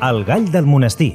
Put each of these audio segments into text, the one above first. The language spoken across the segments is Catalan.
El gall del monestir.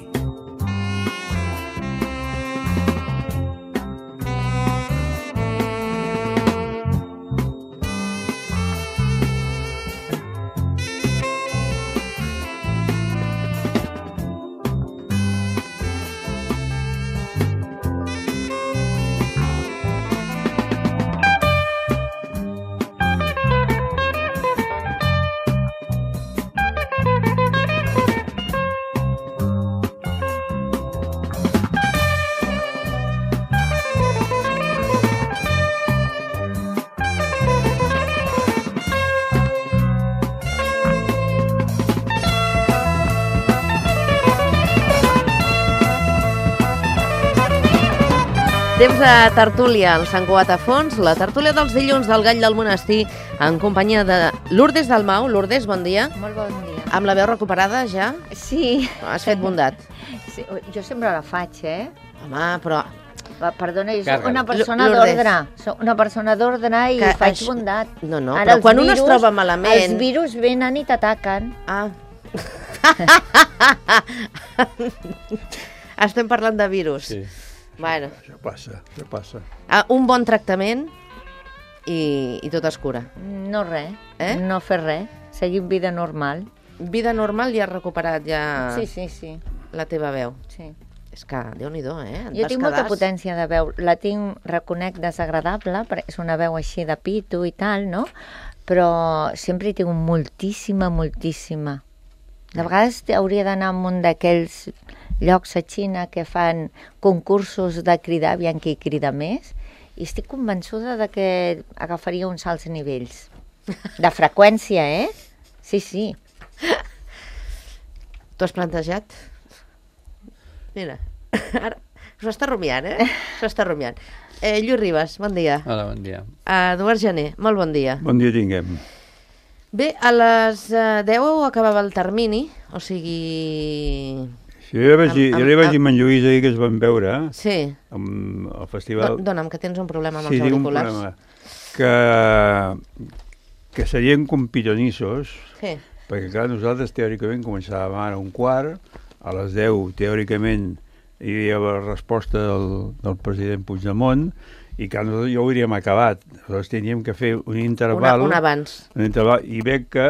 Temps de tertúlia al Sant Cugat a Fons, la tertúlia dels dilluns del Gall del Monestir, en companyia de Lourdes Dalmau. Lourdes, bon dia. Molt bon dia. Amb la veu recuperada, ja? Sí. Has fet bondat. Sí, jo sempre la faig, Home, però... Perdona, jo soc una persona d'ordre. Soc una persona d'ordre i faig bondat. No, però quan un es troba malament... Els virus venen i t'ataquen. Ah. Estem parlant de virus. Sí. Bueno. Això passa. Un bon tractament i tot es cura. No res, no fer res. Seguim vida normal. Vida normal i has recuperat ja Sí. la teva veu. Sí. És que, Déu-n'hi-do, Jo tinc molta potència de veu. La tinc, reconec, desagradable, perquè és una veu així de pito i tal, no? Però sempre hi tinc moltíssima. De vegades hauria d'anar a un d'aquells llocs a Xina que fan concursos de cridar, aviam qui crida més, i estic convençuda de que agafaria uns alts nivells. De freqüència, Sí. T'ho has plantejat? Mira, ara s'ho està rumiant, S'ho està rumiant. Lluís Ribas, bon dia. Hola, bon dia. Eduard Gené, molt bon dia. Bon dia tinguem. Bé, a les 10 acabava el termini, o sigui... Sí, jo li vaig dir a en Lluís ahir que es van veure al festival... Dóna'm, que tens un problema amb els auriculars. Sí, tinc un problema. Que serien com pitonissos, perquè clar, nosaltres teòricament començàvem ara 1:15, a les 10 teòricament hi havia la resposta del president Puigdemont, i que nosaltres ja ho hauríem acabat. Nosaltres teníem que fer un interval... Un abans. I veig que,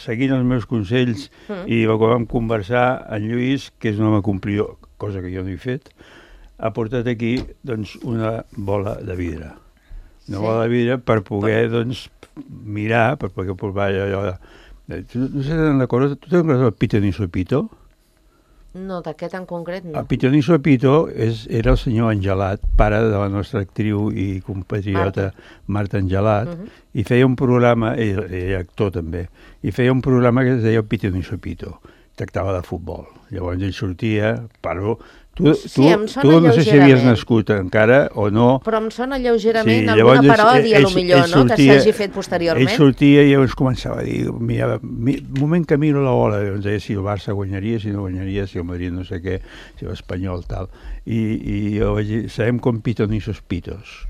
seguint els meus consells, i el que vam conversar, en Lluís, que és un home complidor, cosa que jo no he fet, ha portat aquí doncs, una bola de vidre. Una bola de vidre per poder doncs, mirar, per poder provar allò... No sé si te'n recordes, tu te'n recordes el Pitoniso Pito? No, d'aquest en concret no. El Pitoniso Pito era el senyor Angelat, pare de la nostra actriu i compatriota Marta Angelat, i feia un programa, ell actor també, i feia un programa que es deia el Pitoniso Pito, tractava de futbol. Llavors ell sortia, però... Tu no sé si havies nascut encara o no. Però em sona lleugerament alguna paròdia, potser, no?, que s'hagi fet posteriorment. Ell sortia i llavors començava a dir, moment que miro la bola, ens deia si el Barça guanyaria, si no guanyaria, si el Madrid no sé què, si l'Espanyol, tal. I jo vaig dir, sabem com pitonissos pitos.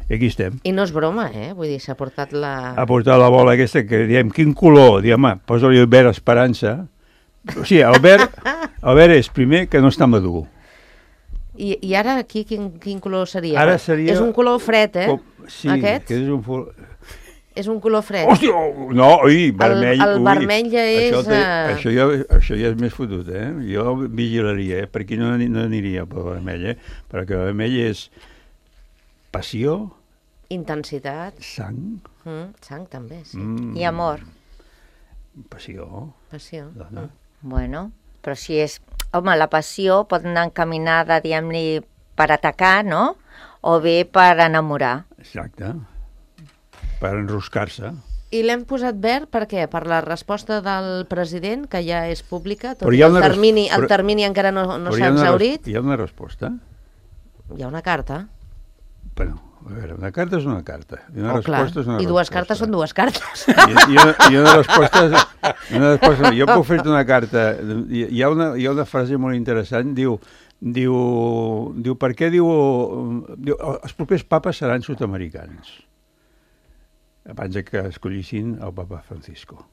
I aquí estem. I no és broma, Vull dir, s'ha portat la... Ha portat la bola aquesta que diem, quin color? Diem, posa-li el verd Esperança. O sigui, el verd és primer que no està madur. I ara aquí quin color seria? Ara seria... És un color fred, Sí, aquest? que és un color fred. Hòstia, no, vermell. El vermell ja és... Això ja és més fotut, Jo vigilaria, per aquí no aniria pel vermell, perquè el vermell és passió... Intensitat. Sang. Sang també, sí. I amor. Passió. Dona. Bueno, però si és... Home, la passió pot anar encaminada, diguem-li, per atacar, no? O bé per enamorar. Exacte. Per enroscar-se. I l'hem posat verd per què? Per la resposta del president, que ja és pública, tot el termini encara no s'ha exhaurit. Hi ha una resposta? Hi ha una carta. Bueno, a veure, una carta és una carta. I una resposta és una resposta. I dues cartes són dues cartes. I una resposta... Jo puc fer-te una carta. Hi ha una frase molt interessant, diu per què diu els propers papes seran sud-americans abans que escollissin el papa Francisco.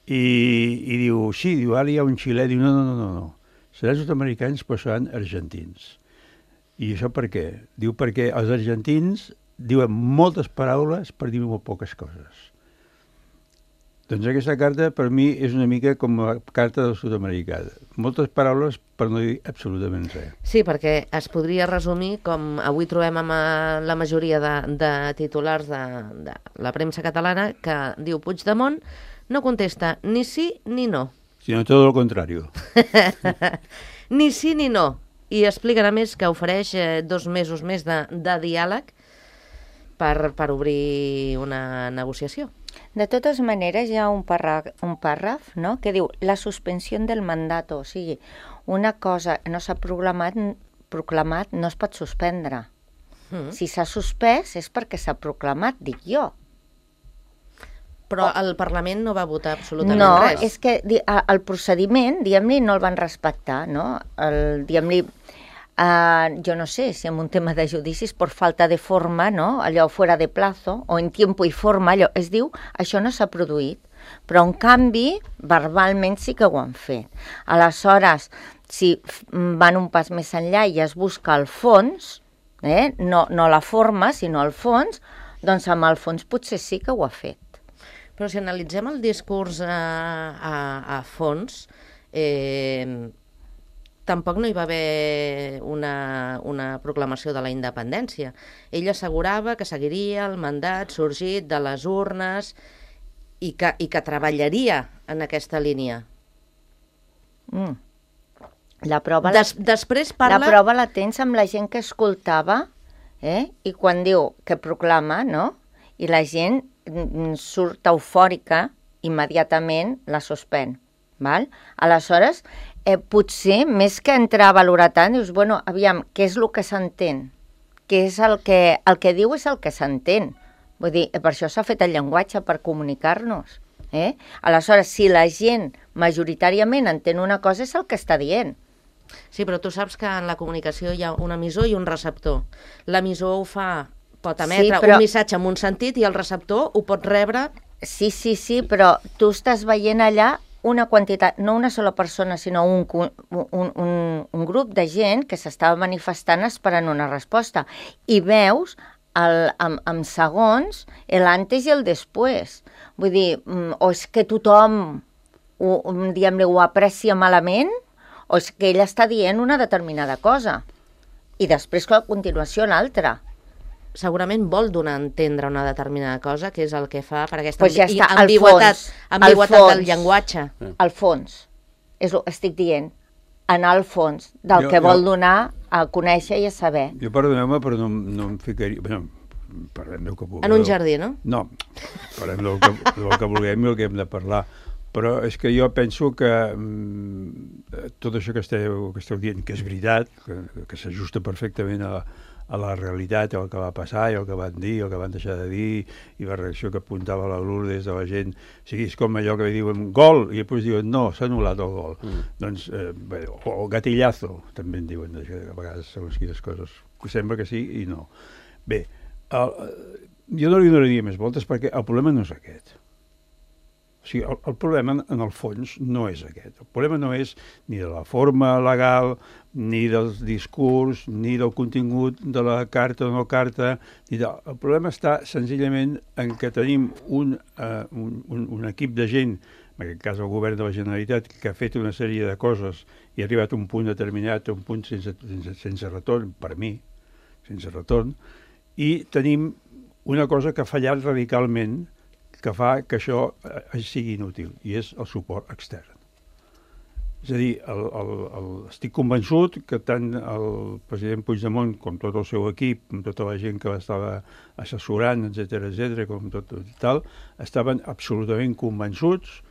I diu, sí, diu, ara hi ha un xilè, diu, no. Seran sud-americans, però seran argentins. I això per què? Diu, perquè els argentins diuen moltes paraules per dir molt poques coses. Doncs aquesta carta, per mi, és una mica com la carta del sud-americà. Moltes paraules per no dir absolutament res. Sí, perquè es podria resumir, com avui trobem amb la majoria de titulars de la premsa catalana, que diu Puigdemont no contesta ni sí ni no. Sinó tot el contrari. Ni sí ni no. I expliquen, a més, que ofereix 2 mesos més de diàleg per obrir una negociació. De totes maneres, hi ha un pàrraf, no?, que diu la suspensió del mandat, o sigui, una cosa no s'ha proclamat no es pot suspendre. Si s'ha suspès és perquè s'ha proclamat, dic jo. Però el Parlament no va votar absolutament res. No, és que el procediment, diguem-li, no el van respectar, no? Diguem-li, jo no sé si en un tema de judicis per falta de forma, no? Allò fora de plazo o en tiempo i forma, allò es diu, això no s'ha produït, però en canvi verbalment sí que ho han fet. Aleshores, si van un pas més enllà i es busca el fons, no la forma sinó el fons, doncs amb el fons potser sí que ho ha fet. Però si analitzem el discurs a fons, tampoc no hi va haver una proclamació de la independència. Ell assegurava que seguiria el mandat sorgit de les urnes i que treballaria en aquesta línia. La prova Després parla... La prova la tens amb la gent que escoltava, i quan diu que proclama, no?, i la gent surt eufòrica, immediatament la suspèn. Val? Aleshores, potser, més que entrar a valorar tant, dius, bueno, aviam, què és el que s'entén? Què és el que diu és el que s'entén. Vull dir, per això s'ha fet el llenguatge, per comunicar-nos. Aleshores, si la gent majoritàriament entén una cosa, és el que està dient. Sí, però tu saps que en la comunicació hi ha un emissor i un receptor. L'emissor pot emetre un missatge en un sentit i el receptor ho pot rebre... Sí, però tu estàs veient allà una quantitat, no una sola persona, sinó un grup de gent que s'estava manifestant esperant una resposta. I veus, en segons, l'antes i el després. Vull dir, o és que tothom ho aprecia malament, o és que ell està dient una determinada cosa. I després, a continuació, l'altra. Segurament vol donar a entendre una determinada cosa, que és el que fa per aquesta ambigüitat del llenguatge. Al fons, estic dient, anar al fons del que vol donar a conèixer i a saber. Jo, perdoneu-me, però no em ficaria... Parlem del que vulgueu. En un jardí, no? No, parlem del que vulguem i el que hem de parlar. Però és que jo penso que tot això que esteu dient, que és veritat, que s'ajusta perfectament a la realitat, el que va passar i el que van dir, el que van deixar de dir, i la reacció que apuntava la Lourdes de la gent. O sigui, és com allò que diuen gol, i després diuen no, s'ha anul·lat el gol. Doncs, o gatillazo, també en diuen, a vegades segons quines coses. Sembla que sí i no. Bé, jo no li donaria més voltes perquè el problema no és aquest. O sigui, el problema, en el fons, no és aquest. El problema no és ni de la forma legal, ni del discurs, ni del contingut de la carta o no carta. El problema està senzillament en que tenim un equip de gent, en aquest cas el govern de la Generalitat, que ha fet una sèrie de coses i ha arribat a un punt determinat, a un punt sense retorn, per mi, sense retorn, i tenim una cosa que ha fallat radicalment, que fa que això sigui inútil, i és el suport extern. És a dir, estic convençut que tant el president Puigdemont com tot el seu equip, com tota la gent que l'estava assessorant, etc., com tot tal, estaven absolutament convençuts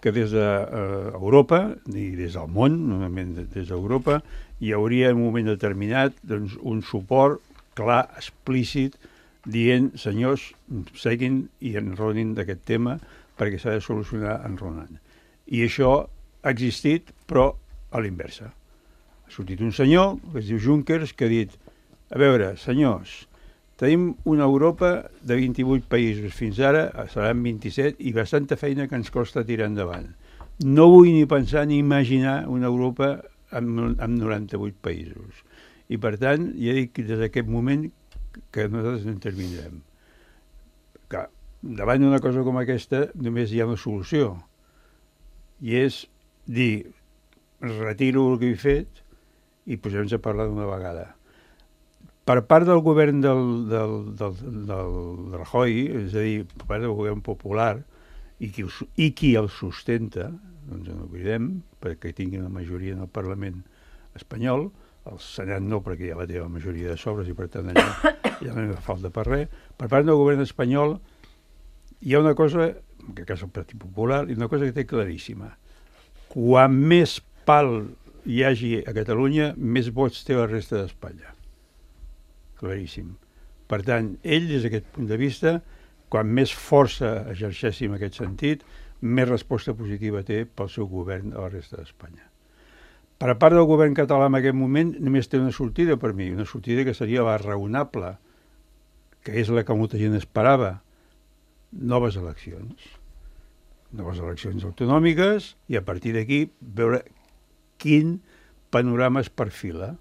que des d'Europa, i des del món, normalment des d'Europa, hi hauria en un moment determinat un suport clar, explícit, dient, senyors, seguin i enronin d'aquest tema perquè s'ha de solucionar enronant. I això ha existit, però a l'inversa. Ha sortit un senyor, que es diu Junckers, que ha dit, a veure, senyors, Tenim una Europa de 28 països. Fins ara seran 27 i bastanta feina que ens costa tirar endavant. No vull ni pensar ni imaginar una Europa amb 98 països. I per tant, ja dic des d'aquest moment que nosaltres no intervindrem. Que davant d'una cosa com aquesta només hi ha una solució. I és dir, retiro el que he fet i posem-nos a parlar d'una vegada. Per part del govern del Rajoy, és a dir, per part del govern popular, i qui el sustenta, doncs no oblidem, perquè tingui una majoria en el Parlament espanyol, el Senat no, perquè ja la té la majoria de sobres i per tant allà ja no hi ha falta per res. Per part del govern espanyol hi ha una cosa, que és el Partit Popular, i una cosa que té claríssima. Quan més pal hi hagi a Catalunya, més vots té la resta d'Espanya. Claríssim. Per tant, ell, des d'aquest punt de vista, quan més força exerceixi en aquest sentit, més resposta positiva té pel seu govern a la resta d'Espanya. Per a part del govern català en aquest moment, només té una sortida per mi, una sortida que seria la raonable, que és la que molta gent esperava, noves eleccions. Noves eleccions autonòmiques i a partir d'aquí veure quin panorama es perfila.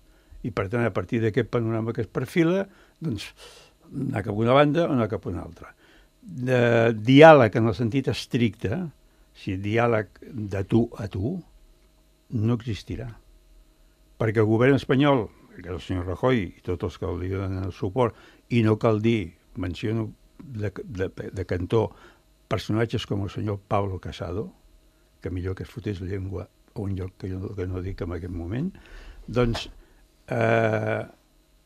I per tant, a partir d'aquest panorama que es perfila, doncs anar cap a una banda o anar cap a una altra. De diàleg en el sentit estricte, si diàleg de tu a tu, no existirà. Perquè el govern espanyol, que és el senyor Rajoy i tots els que li donen el suport, i no cal dir, menciono de cantó, personatges com el senyor Pablo Casado, que millor que es fotés llengua a un lloc que no dic en aquest moment, doncs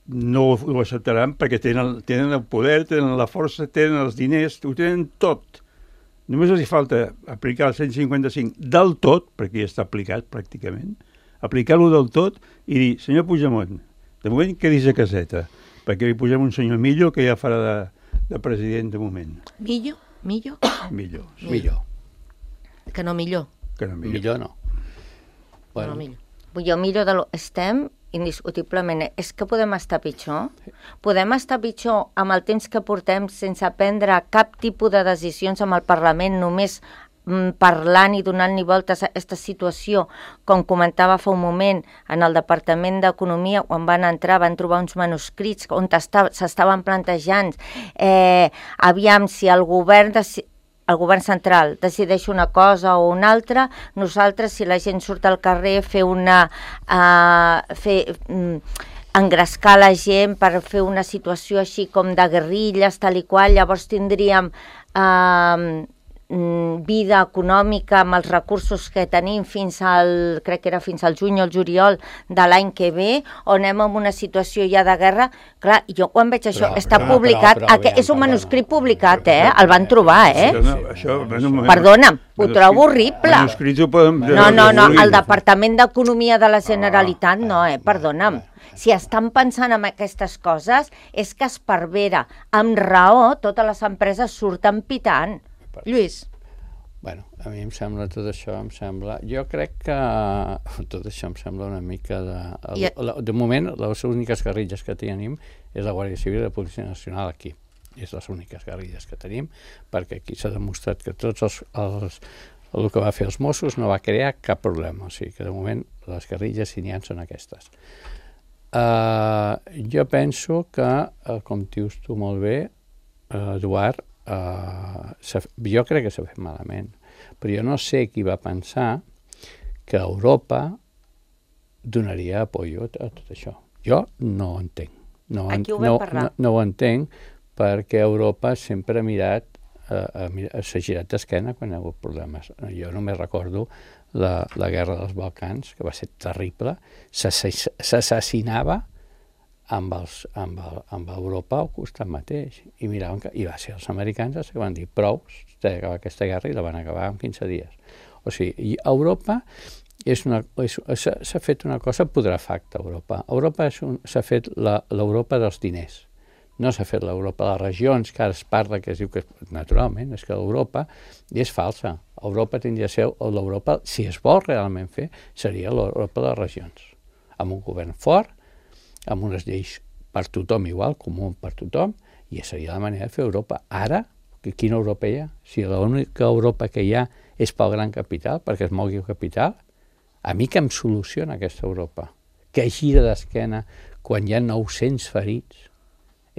no ho acceptaran perquè tenen el poder, tenen la força, tenen els diners, ho tenen tot. Només els hi falta aplicar el 155 del tot, perquè ja està aplicat pràcticament, aplicar-lo del tot i dir, senyor Puigdemont, de moment quedis a caseta, perquè li posem un senyor Millo que ja farà de president de moment. Millo? Millor. Que no millor. Millor no. Bueno. No, millor. Jo miro estem indiscutiblement. És que podem estar pitjor. Podem estar pitjor amb el temps que portem sense prendre cap tipus de decisions amb el Parlament, només parlant i donant-li voltes a aquesta situació, com comentava fa un moment, en el Departament d'Economia, quan van entrar, van trobar uns manuscrits on s'estaven plantejant aviam si el govern central decideix una cosa o una altra, nosaltres, si la gent surt al carrer, engrescar la gent per fer una situació així com de guerrilles, tal i qual, llavors tindríem vida econòmica amb els recursos que tenim crec que era fins al juny o el juliol de l'any que ve, o anem en una situació ja de guerra. Clar, jo quan veig això, està publicat, és un manuscrit publicat, el van trobar, Perdona'm, ho trobo horrible. No, el Departament d'Economia de la Generalitat no, perdona'm. Si estan pensant en aquestes coses, és que Esparvera, amb raó, totes les empreses surten pitant. Lluís. Bueno, a mi em sembla tot això, jo crec que tot això em sembla una mica de moment, les úniques guerrilles que tenim és la Guàrdia Civil i la Policia Nacional aquí. És les úniques guerrilles que tenim, perquè aquí s'ha demostrat que tots el que va fer els Mossos no va crear cap problema. O sigui que de moment les guerrilles si n'hi ha són aquestes. Jo penso que, com dius tu molt bé, Eduard, jo crec que s'ha fet malament, però jo no sé qui va pensar que Europa donaria apoyo a tot això. Jo no ho entenc. No ho entenc perquè Europa sempre ha mirat, s'ha girat d'esquena quan hi ha hagut problemes. Jo només recordo la guerra dels Balcans, que va ser terrible, s'assassinava amb Europa al costat mateix. I miraven i va ser els americans els que van dir prou, s'ha d'acabar aquesta guerra, i la van acabar en 15 dies. O sigui, Europa s'ha fet una cosa putrefacta. Europa s'ha fet l'Europa dels diners. No s'ha fet l'Europa de les regions, que ara es parla, que es diu que naturalment és que l'Europa és falsa. Europa tindria de ser l'Europa, si es vol realment fer, seria l'Europa de les regions, amb un govern fort, amb unes lleis per tothom igual, comú per tothom, i seria la manera de fer Europa. Ara, quina Europa hi ha? Si l'única Europa que hi ha és pel gran capital, perquè es mogui el capital, a mi que em soluciona aquesta Europa? Que gira d'esquena quan hi ha 900 ferits?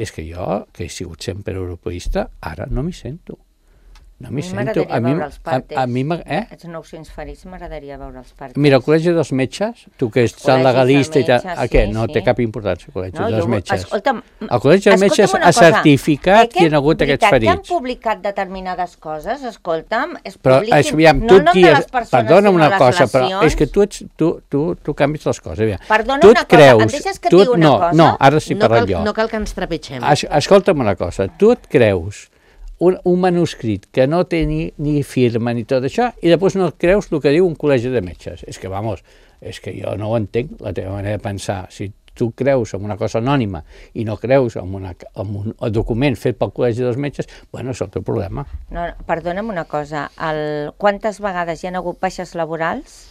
És que jo, que he sigut sempre europeista, ara no m'hi sento. No m'hi sento. M'agradaria veure els partes. Els 900 ferits m'agradaria veure els partes. Mira, el Col·legi dels Metges, tu que ets tan legalista i tal, què? No té cap importància el Col·legi dels Metges. El Col·legi dels Metges ha certificat que hi ha hagut aquests ferits. Que han publicat determinades coses, escolta'm, es publiquin. No el nom de les persones, sinó les lesions. Però és que tu canvis les coses. Perdona una cosa, em deixes que et digui una cosa? No, ara sí parlo jo. No cal que ens trepitgem. Escolta'm una cosa, tu et creus un manuscrit que no té ni firma ni tot això, i després no et creus el que diu un col·legi de metges. És que, és que jo no ho entenc, la teva manera de pensar. Si tu creus en una cosa anònima i no creus en un document fet pel col·legi dels metges, bueno, és el teu problema. No, perdona'm una cosa, quantes vegades hi ha hagut baixes laborals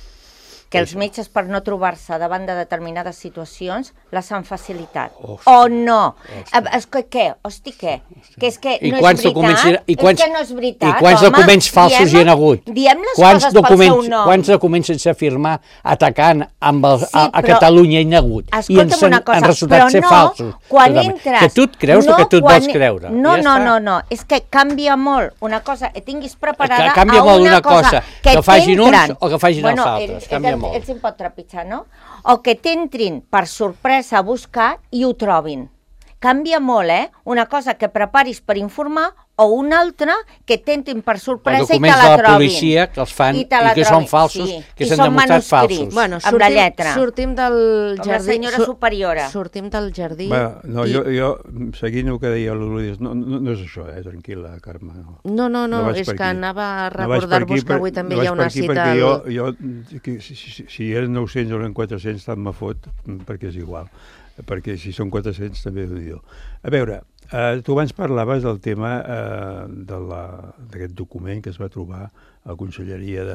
que els metges, per no trobar-se davant de determinades situacions, les han facilitat? O no? Què? Hosti, què? Que és que no és veritat? És que no és veritat, I quants documents falsos hi ha hagut? Diem les coses pel seu nom. Quants documents sense firmar atacant a Catalunya hi ha hagut? I han resultat ser falsos. Quan entres... Que tu et creus el que tu et vols creure. No. És que canvia molt una cosa que tinguis preparada a una cosa que facin uns o que facin els altres. Canvia molt. Ells se'n pot trepitjar, no? O que t'entrin per sorpresa a buscar i ho trobin. Canvia molt, Una cosa que preparis per informar o una altra que t'entrin per sorpresa i te la trobin. Documents de la policia que els fan i que són falsos, que s'han demostrat falsos. Bueno, amb la lletra. Sortim del jardí. Com la senyora superiora. Sortim del jardí. No, jo, seguint el que deia l'Oloris, no és això, tranquil·la, Carme. No, és que anava a recordar-vos que avui també hi ha una cita... Si eren 900 o eren 400, tant me fot, perquè és igual. Perquè si són 400 també ho diu. A veure, tu abans parlaves del tema d'aquest document que es va trobar a la Conselleria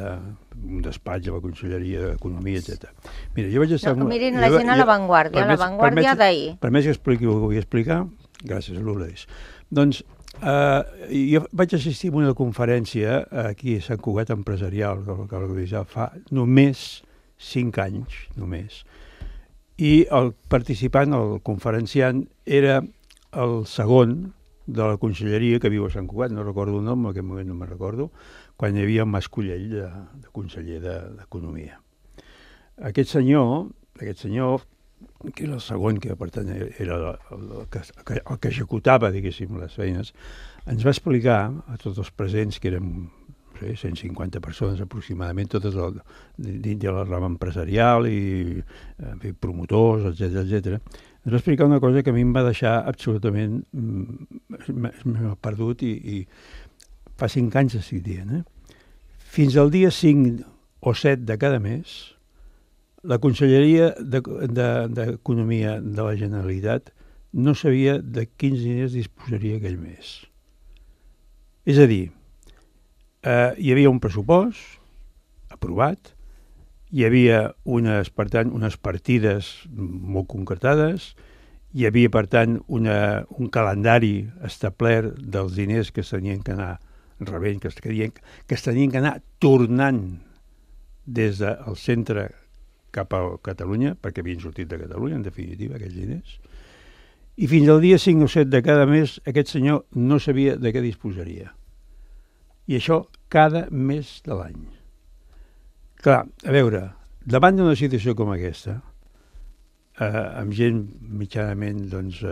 un despatx a la Conselleria d'Economia, etc. Mira, jo vaig estar... Mirin la gent a l'avantguàrdia d'ahir. Permets que expliqui el que vull explicar? Gràcies, Lourdes. Doncs jo vaig assistir a una conferència aquí a Sant Cugat Empresarial, que va organitzar fa només 5 anys, només. I el participant, el conferenciant, era el segon de la conselleria que viu a Sant Cugat, no recordo el nom, en aquest moment no me'n recordo, quan hi havia el Mascollell de conseller d'Economia. Aquest senyor, que era el segon, que per tant era el que executava, diguéssim, les feines, ens va explicar a tots els presents, que érem 150 persones aproximadament, totes dins de la rama empresarial i promotors, etc. Ens va explicar una cosa que a mi em va deixar absolutament perdut i fa 5 anys estic dient. Fins al dia 5 o 7 de cada mes, la Conselleria d'Economia de la Generalitat no sabia de quins diners disposaria aquell mes. És a dir, hi havia un pressupost aprovat, hi havia unes partides molt concretades, hi havia, per tant, un calendari establert dels diners que s'havien d'anar rebent, que s'havien d'anar tornant des del centre cap a Catalunya, perquè havien sortit de Catalunya, en definitiva, aquells diners. I fins al dia 5 o 7 de cada mes aquest senyor no sabia de què disposaria. I això cada mes de l'any. Clar, a veure, davant d'una situació com aquesta, amb gent mitjanament, doncs,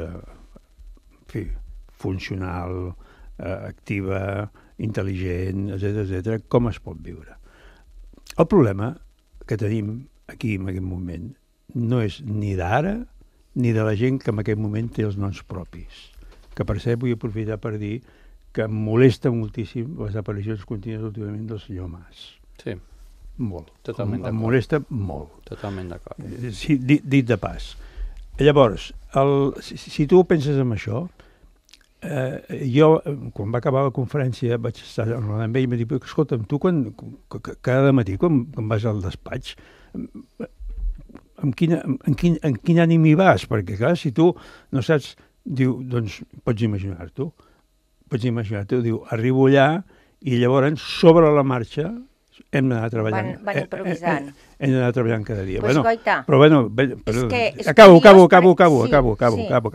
funcional, activa, intel·ligent, etc., com es pot viure? El problema que tenim aquí en aquest moment no és ni d'ara ni de la gent que en aquest moment té els noms propis. Que per cert vull aprofitar per dir que em molesta moltíssim les aparicions contínues últimament del senyor Mas. Sí. Molt. Totalment d'acord. Em molesta molt. Totalment d'acord. Sí, dit de pas. Llavors, si tu penses en això, jo, quan va acabar la conferència, vaig estar amb ell i m'ha dit, escolta'm, tu cada matí quan vas al despatx en quin ànim hi vas? Perquè, clar, si tu no saps, diu, doncs pots imaginar-t'ho, diu, arribo allà i llavors, sobre la marxa, hem d'anar treballant. Van improvisant. Hem d'anar treballant cada dia. Pues, Goita, però bueno, acabo.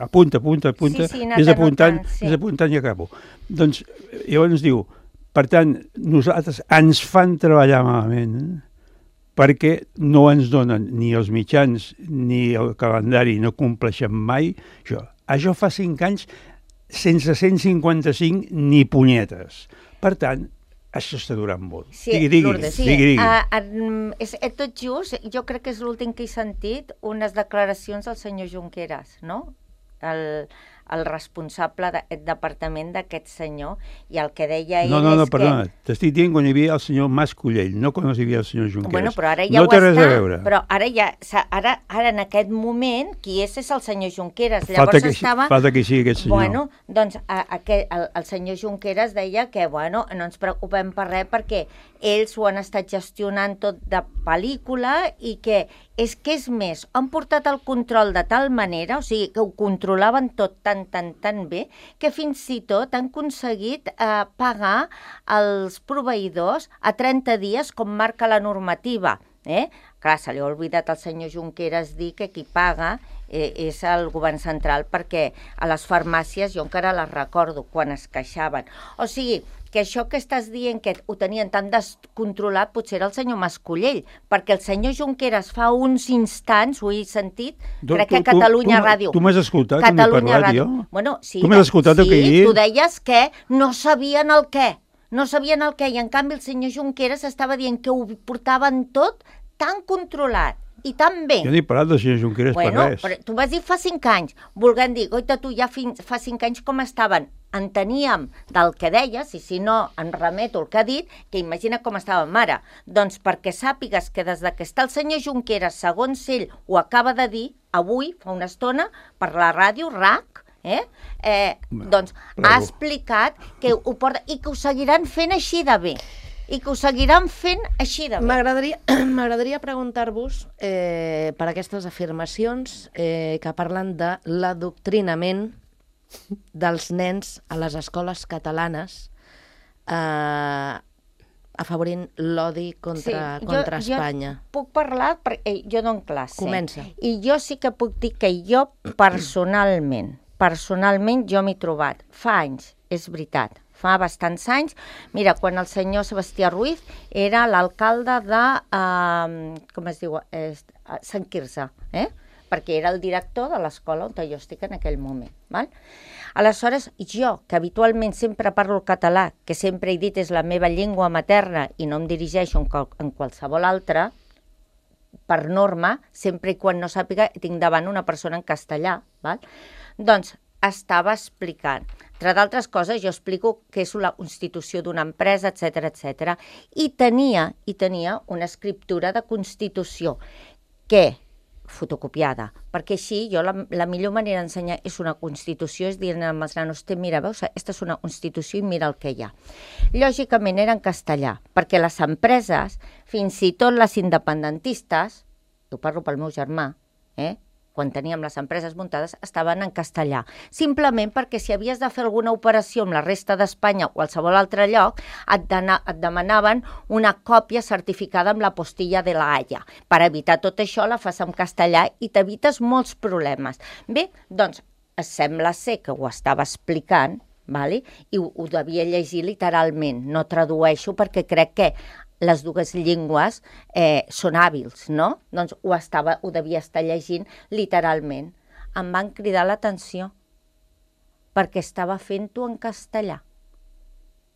Apunta. Vés apuntant i acabo. Doncs, llavors diu, per tant, nosaltres ens fan treballar malament perquè no ens donen ni els mitjans ni el calendari, no compleixen mai això. Això fa 5 anys sense 155 ni punyetes. Per tant, això està durant molt. Sí, digui. És tot just, jo crec que és l'últim que he sentit, unes declaracions del senyor Junqueras, no? El responsable d'aquest departament d'aquest senyor, i el que deia ell No, perdona, t'estic dient quan hi havia el senyor Mas Collell, no quan hi havia el senyor Junqueras. Bueno, però ara ja no té res a veure. Però ara en aquest moment, qui és el senyor Junqueras. Falta que sigui aquest senyor. Bueno, doncs el senyor Junqueras deia que, bueno, no ens preocupem per res perquè ells ho han estat gestionant tot de pel·lícula i que és més, han portat el control de tal manera, o sigui, que ho controlaven tot tan bé, que fins i tot han aconseguit pagar els proveïdors a 30 dies, com marca la normativa. Clar, se li ha oblidat al senyor Junqueras dir que qui paga és el govern central, perquè a les farmàcies, jo encara les recordo, quan es queixaven. O sigui, que això que estàs dient que ho tenien tan descontrolat potser era el senyor Mascollell, perquè el senyor Junqueras fa uns instants, ho he sentit, crec que a Catalunya Ràdio. Tu m'has escoltat quan he parlat jo? Bueno, sí, tu m'has escoltat el que he dit? Tu deies que no sabien el què, i en canvi el senyor Junqueras estava dient que ho portaven tot tan controlat i tan bé. Jo no he parlat del senyor Junqueras per res. Però tu vas dir fa 5 anys, volent dir, goita, tu ja fa 5 anys com estaven? Enteníem del que deies, i si no, en remeto el que ha dit, que imagina com estàvem ara. Doncs perquè sàpigues que des que està el senyor Junqueras, segons ell ho acaba de dir, avui, fa una estona, per la ràdio, RAC, doncs ha explicat que ho porta i que ho seguiran fent així de bé. M'agradaria preguntar-vos per aquestes afirmacions que parlen de l'adoctrinament dels nens a les escoles catalanes afavorint l'odi contra Espanya. Jo puc parlar, perquè jo dono classe. Comença. I jo sí que puc dir que jo personalment jo m'he trobat fa anys, és veritat, fa bastants anys. Mira, quan el senyor Sebastià Ruiz era l'alcalde de, com es diu, Sant Quirze, perquè era el director de l'escola on jo estic en aquell moment. Val? Aleshores, jo, que habitualment sempre parlo el català, que sempre he dit és la meva llengua materna i no em dirigeixo en qualsevol altra, per norma, sempre i quan no sàpiga, tinc davant una persona en castellà. Val? Doncs estava explicant. Entre d'altres coses, jo explico què és la constitució d'una empresa, etc. I tenia una escriptura de constitució que fotocopiada, perquè així jo la millor manera d'ensenyar és una constitució, és dir als nanos, mira, veus, aquesta és una constitució i mira el que hi ha. Lògicament era en castellà, perquè les empreses, fins i tot les independentistes, ho parlo pel meu germà, quan teníem les empreses muntades, estaven en castellà. Simplement perquè si havies de fer alguna operació amb la resta d'Espanya o qualsevol altre lloc, et demanaven una còpia certificada amb la postilla de la Haya. Per evitar tot això, la fas en castellà i t'evites molts problemes. Bé, doncs, sembla ser que ho estava explicant, i ho devia llegir literalment. No tradueixo perquè crec que les dues llengües són hàbils, no? Doncs ho devia estar llegint literalment. Em van cridar l'atenció perquè estava fent-ho en castellà.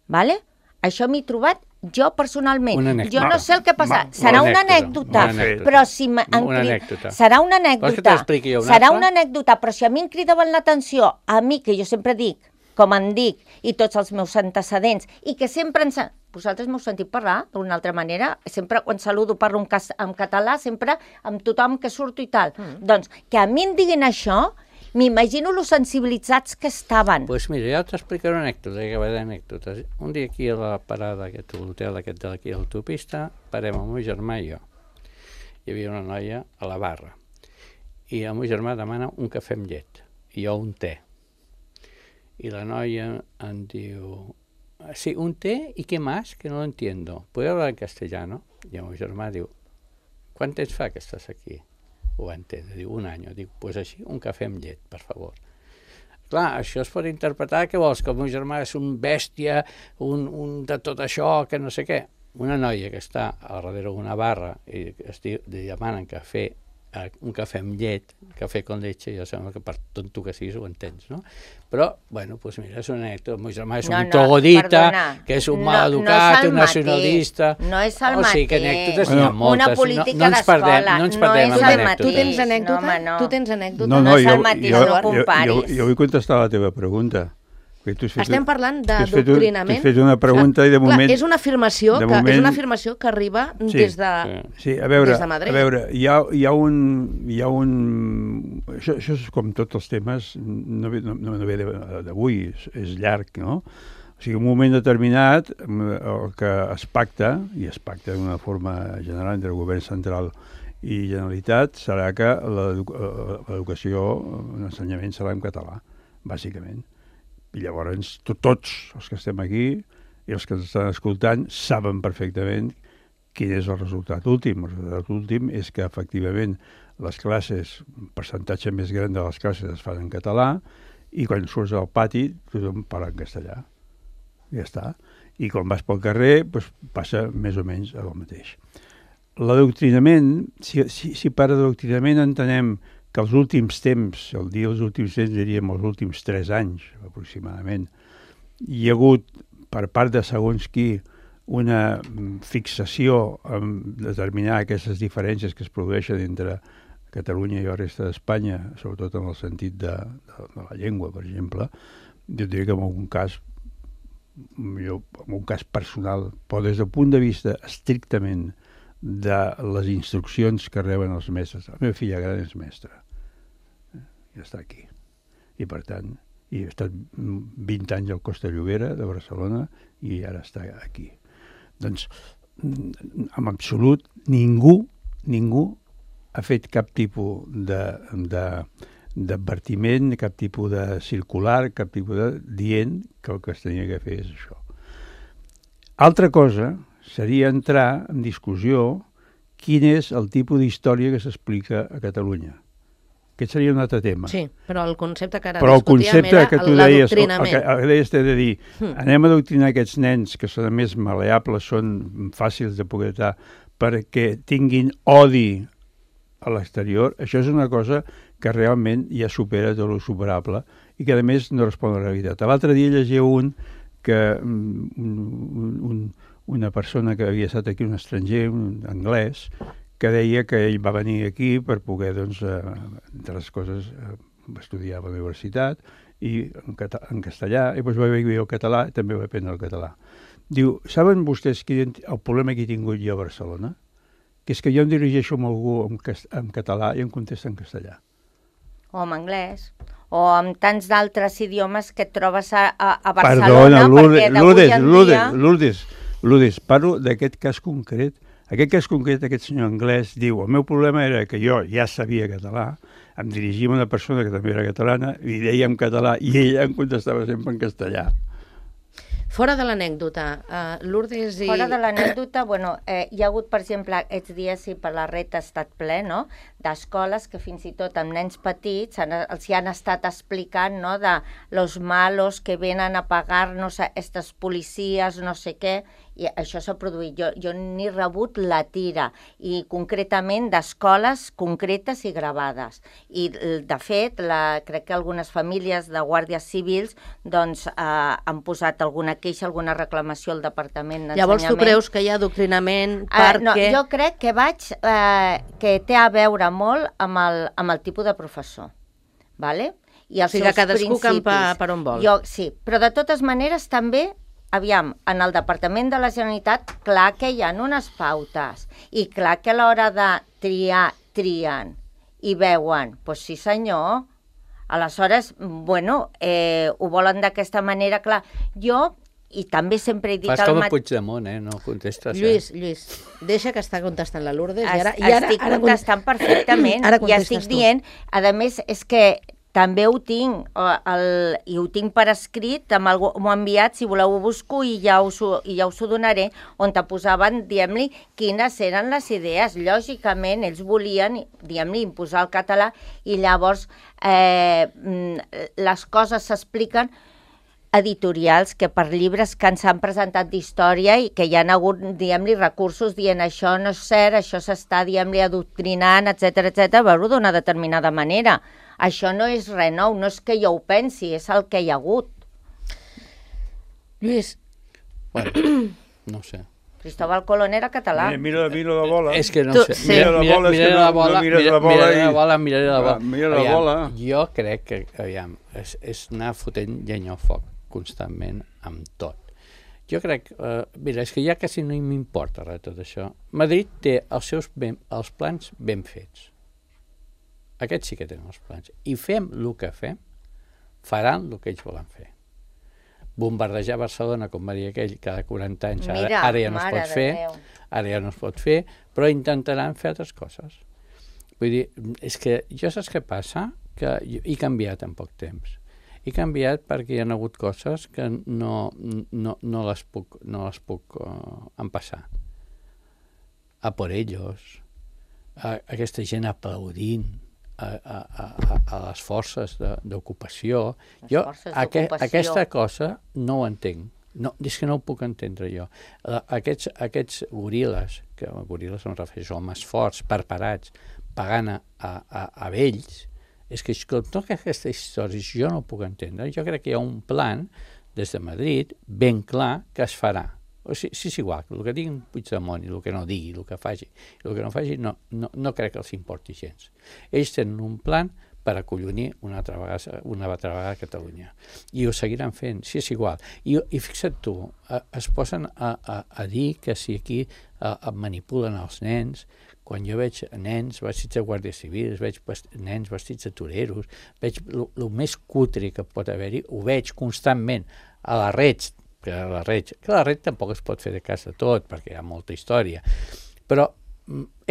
Vale? Això m'he trobat jo personalment. Jo no sé el que passa. Serà una anècdota, però si serà una anècdota, però si a mi em cridaven l'atenció, a mi, que jo sempre dic, com en dic, i tots els meus antecedents, i que sempre vosaltres m'heu sentit parlar d'una altra manera, sempre quan saludo parlo en català, sempre amb tothom que surto i tal. Doncs que a mi em diguin això, m'imagino los sensibilitzats que estaven. Doncs mira, ja t'explicaré una anècdota, que va d'anècdotes. Un dia aquí a la parada d'aquest hotel, d'aquí a l'autopista, parem amb el meu germà i jo. Hi havia una noia a la barra. i el meu germà demana un cafè amb llet i jo un té. Y la noia em diu, sí, un té y qué más, que no lo entiendo. ¿Puedo hablar en castellano? I el meu germà diu, quant temps fa que estàs aquí? Ho va entendre, diu, un any. Dic, pues així, un cafè amb llet, per favor. Clar, això es pot interpretar que vols, que el meu germà és un bèstia, un de tot això, que no sé què. Una noia que està a darrere d'una barra i li demanen un cafè amb llet, cafè con leche, ja sembla que per tonto que siguis ho entens, no? Però, bueno, doncs mira, és una anècdota. El meu germà és un trogodita, que és un mal educat, un nacionalista... No és el mateix. O sigui, que anècdotes n'hi ha moltes. Una política d'escola. No ens perdem amb anècdotes. Tu tens anècdota? Tu tens anècdota? No és el mateix, no comparis. Jo vull contestar la teva pregunta. Estem parlant d'adoctrinament. T'he fet una pregunta i de moment... Clar, és una afirmació que arriba des de Madrid. Sí, a veure, hi ha un... Això és com tots els temes, no ve d'avui, és llarg, no? O sigui, en un moment determinat, el que es pacta, i es pacta d'una forma general entre el govern central i Generalitat, serà que l'educació, l'ensenyament serà en català, bàsicament. I llavors tots els que estem aquí i els que ens estan escoltant saben perfectament quin és el resultat últim. El resultat últim és que efectivament les classes, un percentatge més gran de les classes es fan en català i quan surts al pati tothom parla en castellà. Ja està. I quan vas pel carrer doncs, passa més o menys el mateix. L'adoctrinament, si per adoctrinament entenem que els últims temps, els últims temps diríem els últims 3 anys aproximadament, hi ha hagut per part de segons qui una fixació en determinar aquestes diferències que es produeixen entre Catalunya i la resta d'Espanya, sobretot en el sentit de la llengua, per exemple. Jo diria que en algun cas personal, però des del punt de vista estrictament de les instruccions que reben els mestres. La meva filla gran és mestra. Ja està aquí. I per tant, he estat 20 anys al Costa Llobera de Barcelona i ara està aquí. Doncs, en absolut, ningú ha fet cap tipus d'advertiment, cap tipus de circular, cap tipus de dient que el que es tenia que fer és això. Altra cosa seria entrar en discussió quin és el tipus d'història que s'explica a Catalunya. Aquest seria un altre tema. Sí, però el concepte que ara discutíem era el l'adoctrinament. que deies de dir, anem a adoctrinar aquests nens que són més maleables, són fàcils de poder estar, perquè tinguin odi a l'exterior. Això és una cosa que realment ja supera tot el superable i que a més no respon a la realitat. L'altre dia llegia una persona que havia estat aquí, un estranger, un anglès, que deia que ell va venir aquí per poder, doncs, entre les coses, estudiar a la universitat i en castellà, i doncs va viure el català i també va aprendre el català. Diu, saben vostès el problema que he tingut jo a Barcelona? Que és que jo em dirigeixo amb algú en català i em contesta en castellà. O en anglès, o amb tants d'altres idiomes que et trobes a Barcelona. Perdona, Lourdes, parlo d'aquest cas concret. Aquest senyor anglès diu, el meu problema era que jo ja sabia català, em dirigia a una persona que també era catalana, li deia en català i ella em contestava sempre en castellà. Fora de l'anècdota, Lourdes i... Fora de l'anècdota, bueno, hi ha hagut, per exemple, aquests dies, si per la red ha estat ple, no?, d'escoles que fins i tot amb nens petits els hi han estat explicant, no?, de los malos que venen a pagar-nos a estos policies, no sé què, i això s'ha produït. Jo n'he rebut la tira, i concretament d'escoles concretes i gravades. I, de fet, crec que algunes famílies de guàrdies civils doncs, han posat alguna queixa, alguna reclamació al Departament d'Ensenyament. Llavors tu creus que hi ha adoctrinament perquè... No, jo crec que té a veure molt amb el tipus de professor. Vale? I els seus cadascú principis. campa per on vol. Sí, però de totes maneres també, aviam, en el Departament de la Generalitat, clar que hi ha unes pautes, i clar que a l'hora de triar, trien, i veuen, doncs sí senyor, aleshores, bueno, ho volen d'aquesta manera, clar. Jo i també sempre he dit Fas el com a mateix. Puigdemont, no contestes. Lluís, deixa que està contestant la Lourdes. Estic contestant perfectament Ara i estic contestes tu. dient, a més, és que també ho tinc, i ho tinc per escrit, m'ho ha enviat, si voleu ho busco i ja us ho donaré, on te posaven, diguem-li, quines eren les idees. Lògicament, ells volien, diguem-li, imposar el català i llavors les coses s'expliquen editorials que per llibres que ens han presentat d'història i que hi ha hagut, diguem-li, recursos dient això no és cert, això s'està, diguem-li, adoctrinant, etc veure-ho d'una determinada manera. Això no és res nou, no és que jo ho pensi, és el que hi ha hagut. Lluís. Bueno, no ho sé. Cristóbal Colón era català. Mira la bola. És que no Tu, sé. sí. Miraré la bola. Mira la bola. Jo crec que, aviam, és anar fotent llenya al foc constantment amb tot. Jo crec, mira, és que ja quasi no m'importa res tot això. Madrid té els plans ben fets. Aquests sí que tenen els plans. I fem el que fem, faran el que ells volen fer. Bombardejar Barcelona, com va dir aquell, cada 40 anys, ara ja no es pot fer, ara ja no es pot fer, però intentaran fer altres coses. Vull dir, és que jo saps què passa? Que he canviat en poc temps. He canviat perquè hi ha hagut coses que no les puc empassar. A por ellos, aquesta gent aplaudint a les forces d'ocupació. Jo aquesta cosa no ho entenc. No, és que no ho puc entendre jo. Aquests goril·les, que goril·les em refereixo, homes forts, preparats, pagant a vells, és que totes aquestes històries jo no ho puc entendre. Jo crec que hi ha un plan des de Madrid ben clar que es farà. O sigui, sí, és igual, el que digui Puigdemont i el que no digui, el que faci, el que no faci, no crec que els importi gens. Ells tenen un plan per acollonir una altra vegada a Catalunya. I ho seguiran fent, sí, és igual. I fixa't tu, es posen a dir que si aquí manipulen els nens, quan jo veig nens vestits de guàrdia civil, veig nens vestits de toreros, veig el més cutre que pot haver-hi, ho veig constantment a la Reig, que la Reig tampoc es pot fer de cas de tot, perquè hi ha molta història, però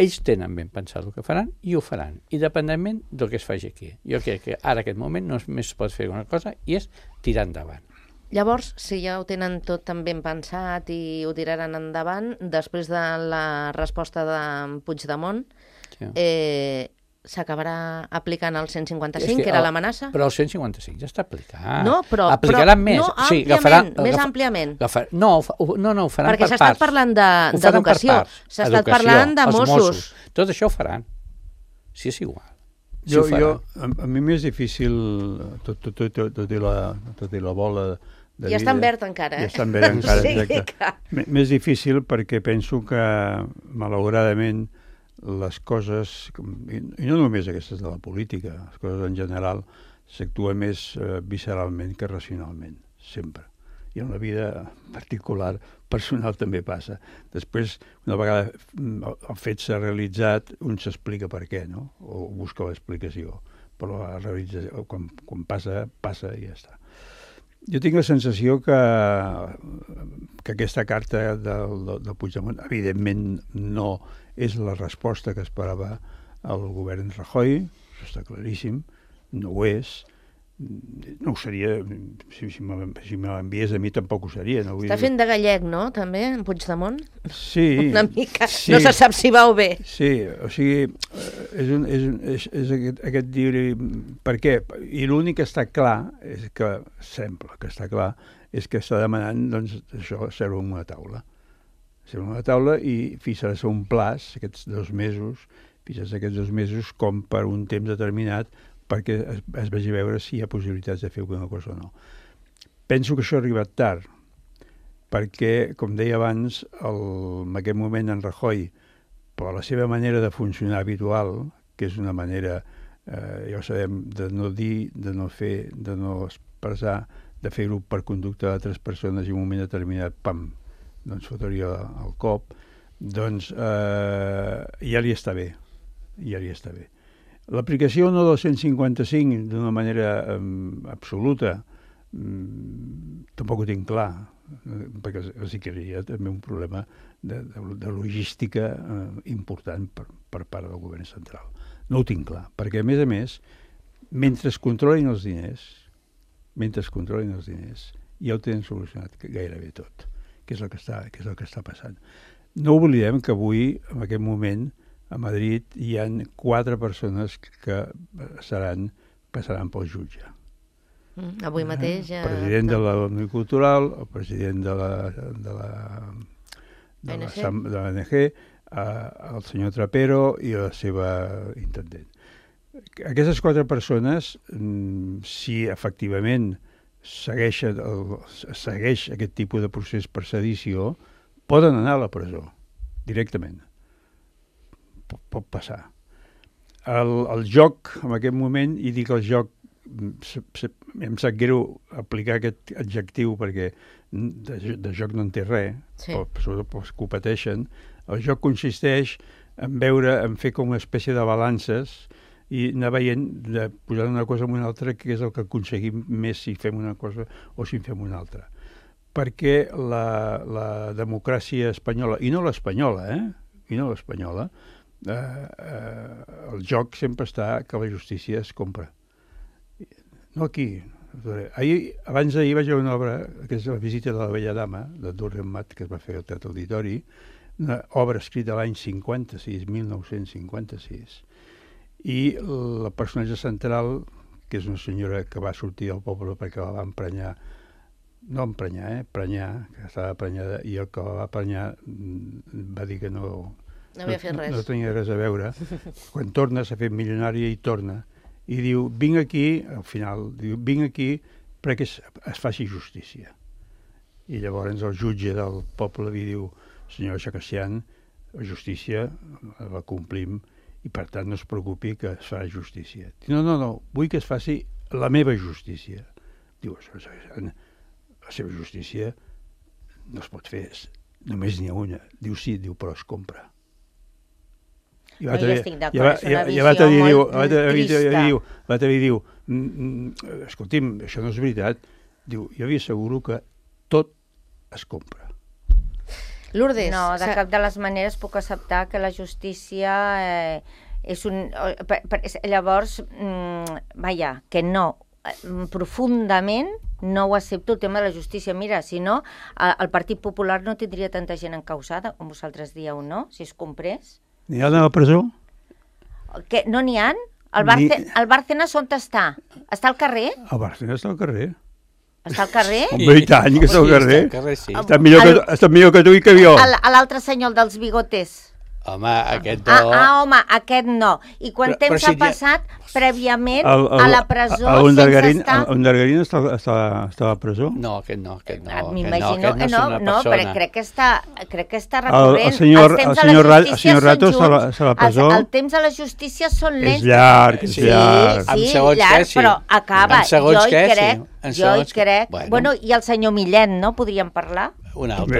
ells tenen ben pensat el que faran i ho faran, independentment del que es faci aquí. Jo crec que ara, en aquest moment, només es pot fer una cosa i és tirar endavant. Llavors, si ja ho tenen tot tan ben pensat i ho tiraran endavant, després de la resposta de Puigdemont, s'acabarà aplicant el 155, que era l'amenaça? Però el 155 ja està aplicat. No, però aplicaran més. No, sí, més àmpliament. No, ho faran per parts. Perquè s'ha estat parlant d'educació, s'ha estat parlant de Mossos. Tot això ho faran. Sí, és igual. A mi m'és difícil, tot i la bola de ja està en verd encara, Ja està en verd encara, sí, exacte. M'és difícil perquè penso que, malauradament, les coses, i no només aquestes de la política, les coses en general, s'actua més visceralment que racionalment, sempre. I en la vida particular, personal, també passa. Després, una vegada el fet s'ha realitzat, un s'explica per què, no? O busca l'explicació. Però la realització, quan passa, passa i ja està. Jo tinc la sensació que aquesta carta del Puigdemont, evidentment, no és la resposta que esperava el govern Rajoy, això està claríssim, no ho és, no ho seria, si me l'enviés a mi tampoc ho seria. No? Està fent de gallec, no?, també, en Puigdemont? Sí. Una mica, sí. No se sap si va o bé. Sí, o sigui, és aquest dir... Per què? I l'únic que està clar, és que sembla que està clar, és que està demanant, doncs, això, seure en una taula. Seure en una taula i fixar-se un plaç, aquests 2 mesos, fixar-se aquests 2 mesos com per un temps determinat, perquè es vegi veure si hi ha possibilitats de fer alguna cosa o no. Penso que això ha arribat tard, perquè, com deia abans, en aquest moment en Rajoy, per la seva manera de funcionar habitual, que és una manera, ja ho sabem, de no dir, de no fer, de no expressar, de fer-ho per conducta d'altres persones i en un moment determinat, pam, doncs fotria el cop, doncs ja li està bé, ja li està bé. L'aplicació no del 155 d'una manera absoluta tampoc ho tinc clar. perquè sí que hi ha també un problema de logística important per part del govern central. No ho tinc clar, perquè a més, mentre es controlin els diners, ja ho tenen solucionat gairebé tot, que és el que està passant. No oblidem que avui, en aquest moment, a Madrid hi ha 4 persones que passaran pel jutge. Avui mateix ja... El president de l'Òmnium Cultural, el president de l'ONG, el senyor Trapero i la seva intendent. Aquestes 4 persones, si efectivament segueix aquest tipus de procés per sedició, poden anar a la presó, directament. Pot passar. El joc, en aquest moment, i dic el joc, em sap greu aplicar aquest adjectiu perquè de joc no en té res, sobretot els que ho pateixen. El joc consisteix en fer com una espècie de balances i anar veient, posar una cosa en una altra, que és el que aconseguim més si fem una cosa o si en fem una altra. Perquè la democràcia espanyola, i no l'espanyola, el joc sempre està que la justícia es compra. No aquí. Abans d'ahir vaig veure una obra, que és La visita de la vella dama, de Durren Matt, que es va fer al Teatre Auditori, una obra escrita l'any 1956. I el personatge central, que és una senyora que va sortir del poble perquè la va emprenyar, prenyar, que estava prenyada, i el que la va prenyar va dir que no havia fet res. No tenia res a veure. Quan torna, s'ha fet milionària i torna. I diu, vinc aquí, al final, vinc aquí perquè es faci justícia. I llavors el jutge del poble li diu, senyora Chacassian, la justícia la complim i per tant no es preocupi que es farà justícia. Diu, no, vull que es faci la meva justícia. Diu, la seva justícia no es pot fer, només n'hi ha una. Diu, sí, però es compra. I jo estic d'acord, és una visió molt trista. L'altre dia diu, escolti'm, això no és veritat. Diu, jo vi asseguro que tot es compra. Lourdes... No, de cap de les maneres puc acceptar que la justícia és un... Llavors, que no, profundament no ho accepto, el tema de la justícia. Mira, si no, el Partit Popular no tindria tanta gent encausada, com vosaltres dieu, no? Si es comprés. N'hi ha a la presó? Que no n'hi ha? El Bárcenas on està? Està al carrer? El Bárcenas està al carrer. Està al carrer? I tant, que està al carrer. Sí. Està millor que tu i que jo. L'altre senyor, el dels bigotes. Home, aquest no. Home, aquest no. I quant temps ha passat prèviament a la presó sense estar... El Dargarín està a la presó? No, aquest no. M'imagino que no, però crec que està recurrent. El senyor Rato està a la presó? El temps a la justícia són lents. És llarg, és llarg. Sí, llarg, però acaba. Jo hi crec. Bueno, i el senyor Millet, no? Podríem parlar? Un altre.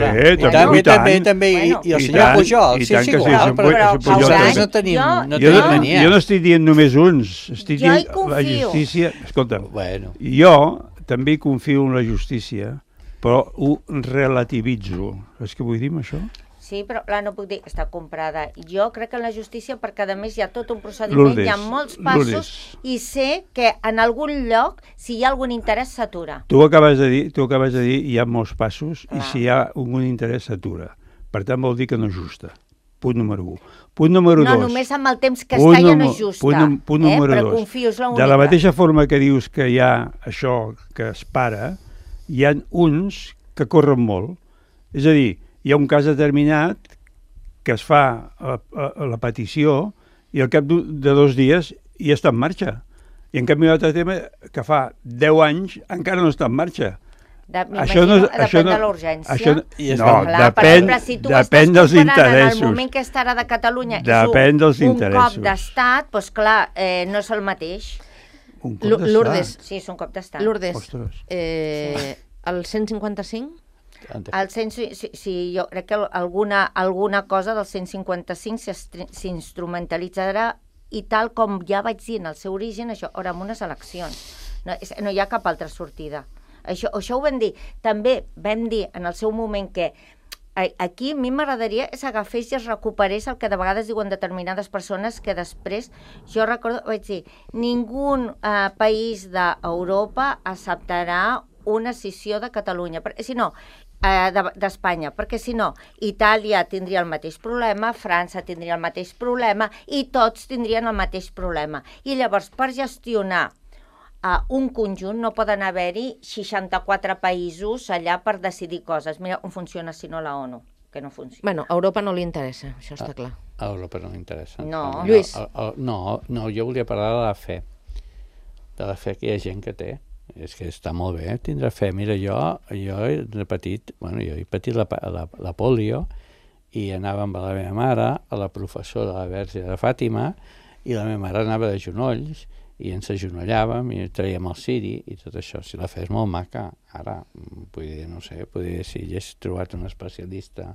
També. I el senyor Pujol, sí, és igual, però nosaltres no tenim mania. Jo no estic dient només uns, estic dient la justícia... Escolta'm, jo també confio en la justícia, però ho relativitzo. Saps què vull dir amb això? Sí, però no puc dir que està comprada. Jo crec que en la justícia, perquè a més hi ha tot un procediment, hi ha molts passos, i sé que en algun lloc, si hi ha algun interès, s'atura. Tu acabes de dir hi ha molts passos, i si hi ha algun interès, s'atura. Per tant, vol dir que no és justa. Punt número 1. Punt número 2. No, només amb el temps que està ja no és justa. Punt número 2. Però confio, és l'única. De la mateixa forma que dius que hi ha això que es para, hi ha uns que corren molt. És a dir, hi ha un cas determinat que es fa la petició i al cap de 2 dies ja està en marxa. I en canvi un altre tema que fa 10 anys encara no està en marxa. Depèn de l'urgència. Depèn dels interessos. En el moment que estarà de Catalunya depèn dels un interessos. cop d'estat, doncs clar, no és el mateix. Un cop d'estat? Lourdes. Sí, és un cop d'estat. Lourdes, el 155... jo crec que alguna cosa del 155 s'instrumentalitzarà i tal com ja vaig dir en el seu origen, això, ara amb unes eleccions. No hi ha cap altra sortida. Això ho vam dir. També vam dir en el seu moment que aquí a mi m'agradaria que s'agafés i es recuperés el que de vegades diuen determinades persones que després, jo recordo, vaig dir, ningú país d'Europa acceptarà una escissió de Catalunya, si no, d'Espanya, perquè si no, Itàlia tindria el mateix problema, França tindria el mateix problema i tots tindrien el mateix problema. I llavors, per gestionar un conjunt no poden haver-hi 64 països allà per decidir coses. Mira on funciona, si no, la ONU, que no funciona. Bueno, a Europa no li interessa, això està clar. A Europa no li interessa. No. Lluís. No, jo volia parlar de la fe. De la fe que hi ha gent que té. És que està molt bé tindre fe. Mira, jo he repetit, jo he patit la pòlio i anava amb la meva mare a la professora de la Verge de Fàtima i la meva mare anava de genolls i ens agenollàvem i traiem el ciri i tot això. Si la fe és molt maca, ara, no sé, si hagués trobat un especialista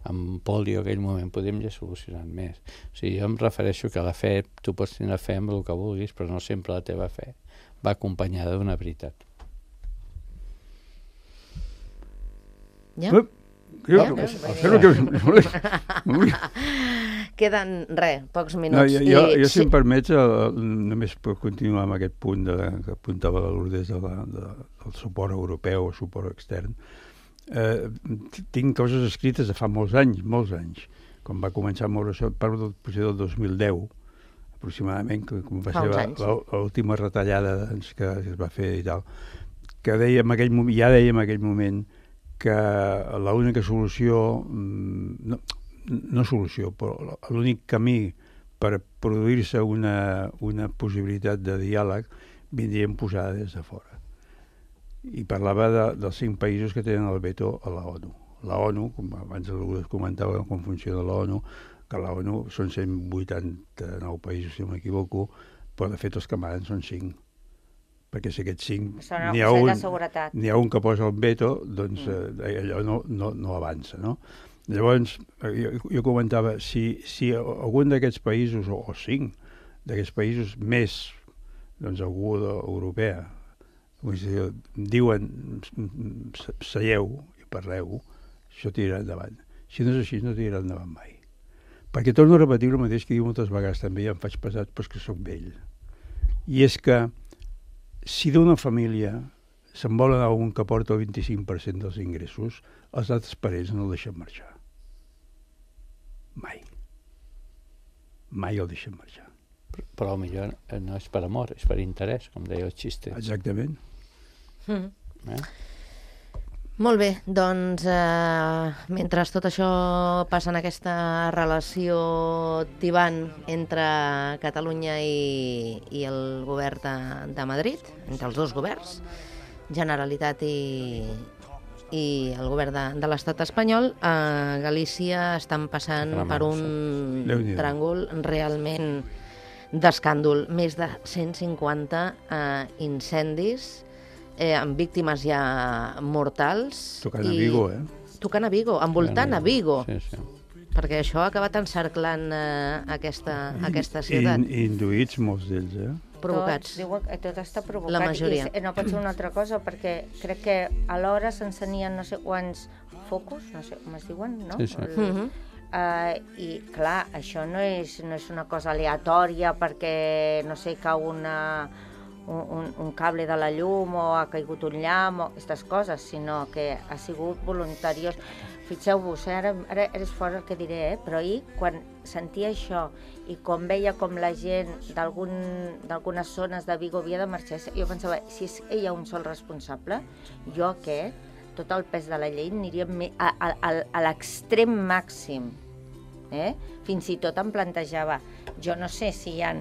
en pòlio en aquell moment, podríem ja solucionar més. O sigui, jo em refereixo que la fe, tu pots tenir fe amb el que vulguis, però no sempre la teva fe va acompanyada d'una veritat. Ja? Queden, pocs minuts. Jo, si em permets, només per continuar amb aquest punt que apuntava la Lourdes del suport europeu o suport extern, tinc coses escrites de fa molts anys, quan va començar a moure-se, parlo del procés del 2010, aproximadament, com va ser l'última retallada que es va fer i tal, que deia en aquell moment que l'única solució, no solució, però l'únic camí per produir-se una possibilitat de diàleg vindria imposada des de fora. I parlava dels 5 països que tenen el veto a la ONU. La ONU, com abans es comentava com funciona la ONU, que la ONU són 189 països, si no m'equivoco, però de fet els que manen són 5. Perquè si aquests 5 n'hi ha un que posa el veto, doncs allò no avança, no? Llavors, jo comentava, si algun d'aquests països, o 5 d'aquests països més, doncs algú europea, diuen seieu i parleu, això tirarà endavant. Si no és així, no tirarà endavant mai. Perquè torno a repetir el mateix que diu moltes vegades també, i em faig pesat, però és que soc vell. I és que si d'una família se'n vol anar un que porta el 25% dels ingressos, els altres parents no el deixen marxar. Mai. Mai el deixen marxar. Però potser no és per amor, és per interès, com deia el xiste. Exactament. Molt bé, doncs mentre tot això passa en aquesta relació tibant entre Catalunya i el govern de Madrid, entre els dos governs, Generalitat i el govern de l'estat espanyol, a Galícia estan passant per un tràngol realment d'escàndol. Més de 150 incendis amb víctimes ja mortals. Tocant a Vigo, Tocant a Vigo, envoltant a Vigo. Sí. Perquè això ha acabat encerclant aquesta ciutat. I induïts molts d'ells, Provocats. Tot està provocat. La majoria. I no pot ser una altra cosa, perquè crec que alhora s'encenien no sé quants focus, no sé com es diuen, no? Sí. I clar, això no és una cosa aleatòria perquè, no sé, cau un cable de la llum o ha caigut un llamp o aquestes coses, sinó que ha sigut voluntariós. Fixeu-vos, ara és fora el que diré, però ahir, quan sentia això i com veia com la gent d'algunes zones de Vigo havia de marxar, jo pensava, si és ella un sol responsable, jo tot el pes de la llei aniria a l'extrem màxim. Fins i tot em plantejava, jo no sé si hi ha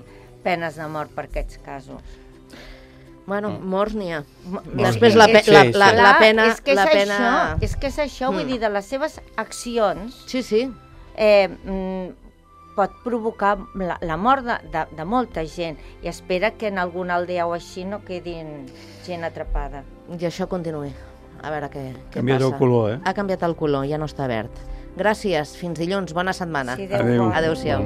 penes de mort per aquests casos. Bueno, morts n'hi ha. Després la pena... És que és això, vull dir, de les seves accions... Sí. Pot provocar la mort de molta gent i espera que en alguna aldea o així no quedin gent atrapada. I això continuï. A veure què passa. Ha canviat el color, Ha canviat el color, ja no està verd. Gràcies, fins dilluns, bona setmana. Sí, adéu. Adéu-siau.